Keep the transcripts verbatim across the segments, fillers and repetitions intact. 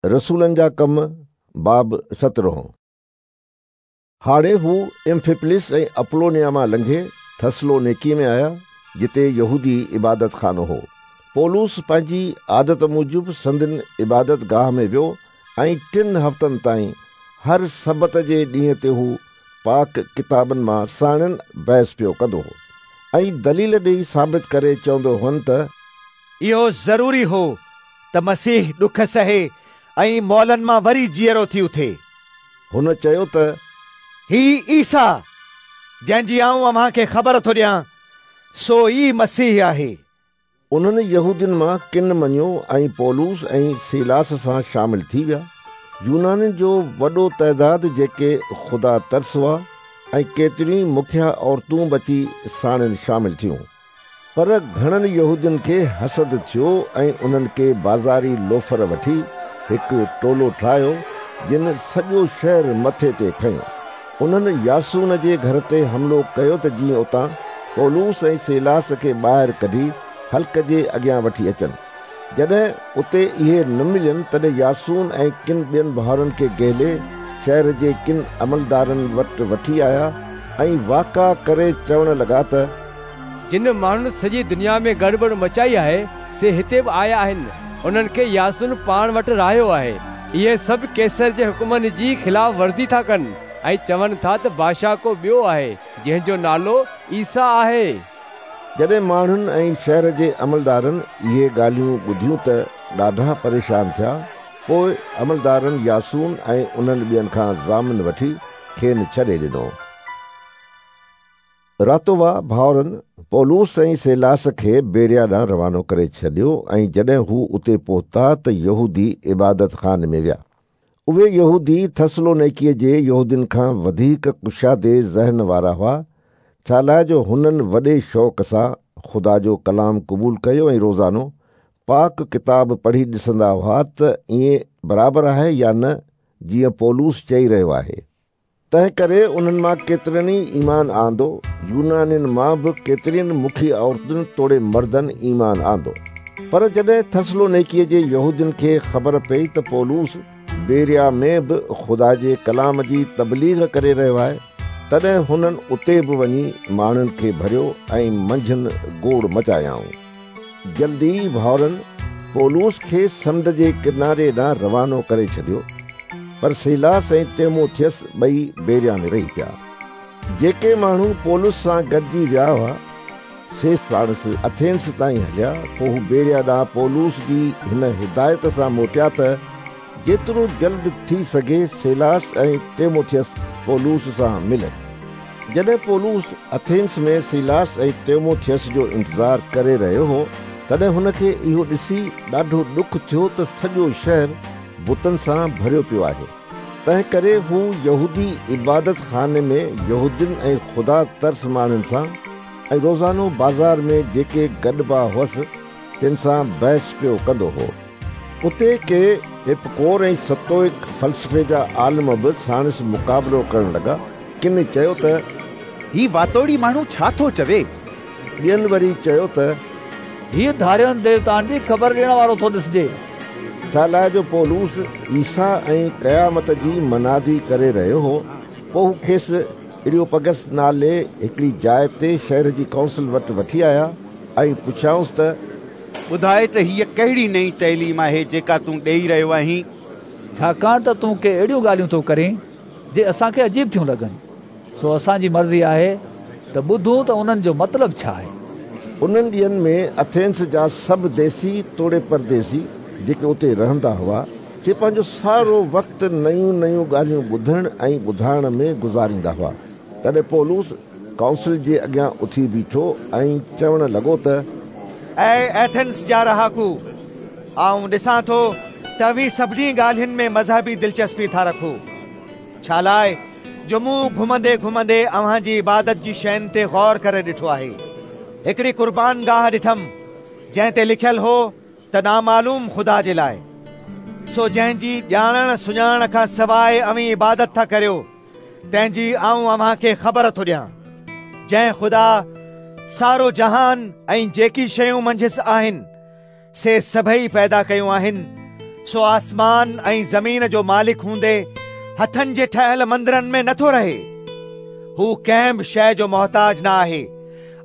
रसूलनि जा कम बाब सतरहों। हाणे हू एम्फिपोलिस ऐं अपोलोनिया मां लंघे थेसलोनिकी में आया, जिते यहूदी इबादत खानो हो। पौलुस पंहिंजी आदत मूजिबि संदन इबादत गाह में वियो ऐं टिनि हफ़्तनि ताईं हर सबत जे ॾींहं ते हू पाक किताबनि मां साणनि बहस पियो कंदो हो ऐं दलील ॾेई साबित करे चवंदो हुअनि त इहो ज़रूरी हो त मसीह ॾुख सहे ऐं मौलनि मां वरी जीअरो थी उथे। हुन चयो त ही ईसा जंहिंजी आउं अव्हां खे ख़बर थो ॾियां सो ई मसीह आहे। उन्हनि यहूदियुनि मां किन मञियो ऐं पौलुस ऐं सीलास सां शामिल थी विया। यूनानियुनि जो वॾो तइदाद जेके ख़ुदा तरस हुआ ऐं केतिरियूं मुखिया औरतूं बि अची साणनि शामिल थियूं। पर घणनि यहूदियुनि खे हसद थियो ऐं उन्हनि खे बाज़ारी लोफर वठी हिकु टोलो ठाहियो, जिन सॼो शहर मथे ते खयो। उन्हनि यासून जे घर ते हमलो कयो त जीअं उतां पौलुस ऐं सीलास खे ॿाहिरि कढी हल्क जे अॻियां वठी अचनि। जॾहिं उते इहे न मिलनि तॾहिं यासून ऐं किन ॿियनि भाउरनि खे गेले शहर जे किन अमलदारनि वटि वठी आया ऐं वाका करे चवण लॻा त जिन माण्हुनि सॼी दुनिया में गड़बड़ मचाई आहे से हिते बि आया आहिनि। उन्हनि खे यासून पाण वटि रहायो आहे। इहे सभु कैसर जे हुकुमनि जी ख़िलाफ़ वर्ज़ी था कनि ऐं चवनि था त बादशाह को ॿियो आहे जंहिंजो नालो ईसा आहे। जॾहिं माण्हुनि ऐं शहर जे अमलदारनि इहे ॻाल्हियूं ॿुधियूं त ॾाढा परेशान थिया। पोइ अमलदारनि यासून ऐं उन्हनि ॿियनि खां ज़ामिन वठी खेनि छॾे ॾिनो। रातोवा भाउरनि पौलुस ऐं सीलास खे बेरिया ॾांहुं रवानो करे छॾियो ऐं जॾहिं हू उते पहुता त यहूदी इबादत खाने में विया। उहे यहूदी थेसलोनिकी जे यहूदियुनि खां वधीक कुशादे ज़हन वारा हुआ, छा लाइ जो हुननि वॾे शौक़ सां ख़ुदा जो कलाम क़बूल कयो ऐं रोज़ानो पाक किताब पढ़ी ॾिसंदा हुआ त ईअं बराबरि आहे या न, जीअं पौलुस चई रहियो आहे। तंहिं करे उन्हनि मां केतिरनि ई ईमान आंदो। यूनानियुनि मां बि केतिरियुनि मुखी औरतुनि तोड़े मर्दनि ईमान आंदो। पर जॾहिं थेसलोनिकी जे यहूदियुनि खे ख़बर पई त पौलुस बेरिया में बि ख़ुदा जे कलाम जी तबलीग करे रहियो आहे, तॾहिं हुननि उते बि वञी माण्हुनि खे भरियो ऐं मंझनि गोड़ मचायाऊं। जल्दी ई भाउरनि पौलुस खे समुंड जे किनारे ॾांहुं रवानो करे छॾियो, पर सीलास ऐं तीमुथियुस ॿई बेरिया में रही पिया। जेके माण्हू पौलुस सां गॾिजी विया हुआ से साणुसि अथेंस ताईं हलिया। पोइ हू बेरिया ॾांहुं पौलुस जी हिन हिदायत सां मोटिया त जेतिरो जल्द थी सघे सीलास ऐं तीमुथियुस पौलुस सां मिलनि। जॾहिं पौलुस अथेंस में सीलास ऐं तीमुथियुस जो इंतज़ार करे रहियो हो, तॾहिं हुनखे इहो ॾिसी ॾाढो ॾुख थियो त सॼो शहर बुतनि सां भरियो पियो आहे। तंहिं करे हू यहूदी इबादत खाने में यहूदियुनि ऐं ख़ुदा तरस माण्हुनि सां ऐं रोज़ानो बाज़ार में जेके गॾिबा हुअसि तिन सां बहस पियो कंदो हो। उते के एपिकोर ऐं सतोइक फ़लसफ़े जा आलिम बि साणुसि मुक़ाबिलो करण लॻा। किन चयो त ही वातोड़ी माण्हू छा थो चवे? ॿियनि वरी चयो त हीउ धारियनि देवताउनि जी ख़बर ॾियण वारो थो ॾिसजे। छा लाइ जो पौलुस ईसा ऐं क़यामत जी मनादी करे रहियो हो। पोइ हू खेसि एरियोपगस नाले हिकिड़ी जाइ ते शहर जी काउंसिल वटि वठी आया ऐं पुछियाउंसि त ॿुधाए त हीअ कहिड़ी नई तइलीम आहे जेका तूं ॾेई रहियो आहीं? छाकाणि त तूं के अहिड़ियूं ॻाल्हियूं थो करीं जे असांखे अजीब थियूं लॻनि। सो असांजी मर्ज़ी आहे त ॿुधूं त उन्हनि जो मतिलबु छा आहे। उन्हनि ॾींहंनि में अथेंस जा सभु देसी तोड़े परदेसी जेके उते रहंदा हुआ, जे पंहिंजो सारो वक़्तु नयूं नयूं ॻाल्हियूं ॿुधण ऐं ॿुधाइण में गुज़ारींदा हुआ। तॾहिं पौलुस काउंसिल जे अॻियां उथी बीठो ऐं चवण लॻो त ऐ एथेंस जा रहाकू, आउं ॾिसां थो त अव्हीं सभिनी ॻाल्हियुनि में मज़हबी दिलचस्पी था रखो। छा लाइ जो मूं घुमंदे घुमंदे अव्हां जी इबादत जी शयुनि ते गौर करे ॾिठो आहे। हिकिड़ी कुर्बान गाह ॾिठमि जंहिं ते लिखियल हो त नामालूम ख़ुदा जे लाइ। सो जंहिंजी ॼाणण सुञाणण खां सवाइ अव्हीं इबादत था करियो, तंहिंजी आउं अव्हां खे ख़बर थो ॾियां। जंहिं ख़ुदा सारो जहान ऐं जेकी शयूं मंझसि आहिनि से सभई पैदा कयूं आहिनि, سو آسمان ऐं ज़मीन जो मालिक हूंदे हथनि जे ठहियल मंदिरनि में नथो रहे। हू कंहिं बि शइ जो मोहताज न आहे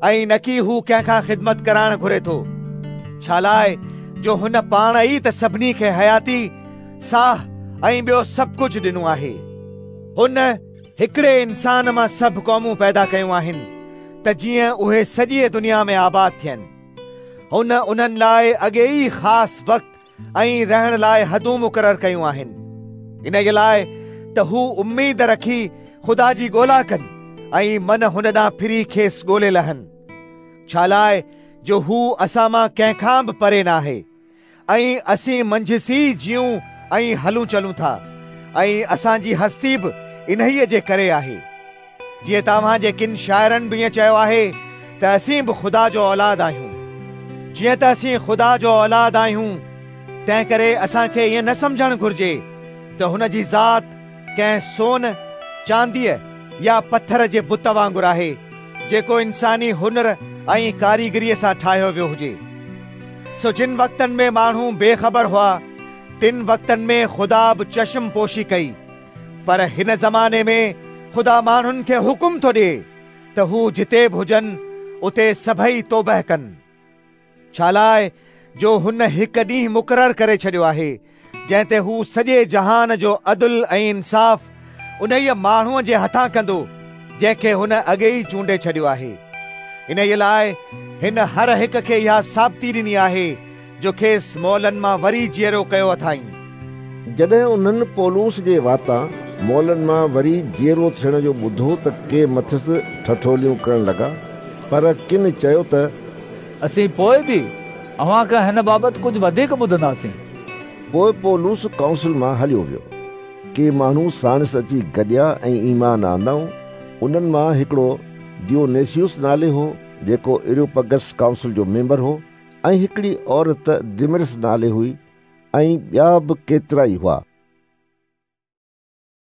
ऐं न की हू कंहिंखां ख़िदमत कराइण घुरे थो, छालाए जो हुन पाण ई त सभिनी खे हयाती, साह ऐं ॿियो सभु कुझु ॾिनो आहे। हुन हिकिड़े इंसान मां सभु क़ौमूं पैदा कयूं आहिनि त जीअं उहे सॼीअ दुनिया में आबाद थियनि। हुन उन्हनि लाइ अॻे ई ख़ासि वक़्तु ऐं रहण लाइ हदूं मुक़ररु कयूं आहिनि, इन जे लाइ त हू उम्मीद रखी ख़ुदा जी ॻोल्हा कनि ऐं मन हुन ॾांहुं फिरी खेसि ॻोल्हे लहनि, छालाए जो हू असां मां कंहिंखां बि परे न आहे ऐं असीं मंझसि ई जीऊं ऐं हलूं चलूं था ऐं असांजी हस्ती बि इन्हीअ जे करे आहे। जीअं तव्हांजे किन शाइरनि बि ईअं चयो आहे त असीं बि ख़ुदा जो औलाद आहियूं। जीअं त असीं ख़ुदा जो औलाद आहियूं, तंहिं करे असांखे ईअं न सम्झणु घुरिजे त हुन जी ज़ात कंहिं सोन, चांदीअ या पथर जे बुत वांगुरु आहे, जेको इंसानी हुनर ऐं कारीगरीअ सां ठाहियो वियो हुजे। सो जिन वक़्तनि में माण्हू बेख़बर हुआ, तिन वक़्तनि में ख़ुदा बि चश्म पोशी कई, पर हिन ज़माने में ख़ुदा माण्हुनि खे हुकुम थो ॾिए त हू जिते बि हुजनि उते सभई तौबह कनि, छालाए जो हुन हिकु ॾींहुं मुक़ररु करे छॾियो आहे, जंहिं ते हू सॼे जहान जो अदुल ऐं इंसाफ़ उन्हीअ माण्हूअ जे हथां कंदो जंहिंखे हुन अॻे ई चूंडे छॾियो आहे। इन लाइ हिन हर हिक खे इहा साबिती ॾिनी आहे जो खेसि मौलनि मां वरी जीअरो कयो अथाईं। जॾहिं उन्हनि पौलुस जे वातां मौलनि मां वरी जीअरो थियण जो ॿुधो त के मथसि ठठोलियूं करण लॻा, पर किन चयो त असीं पोइ बि अव्हां खां हिन बाबति कुझु वधीक ॿुधंदासीं। पोइ पौलुस काउंसिल मां हलियो वियो। के माण्हू साणसि अची गॾिया ऐं ईमान आंदऊं। उन्हनि मां हिकिड़ो दियोनेसियुस नाले हो, जेको एरियोपगस काउंसिल जो मेंबर हो, ऐं हिकिड़ी औरत दिमरिस नाले हुई, ऐं ॿिया बि केतिरा ई हुआ।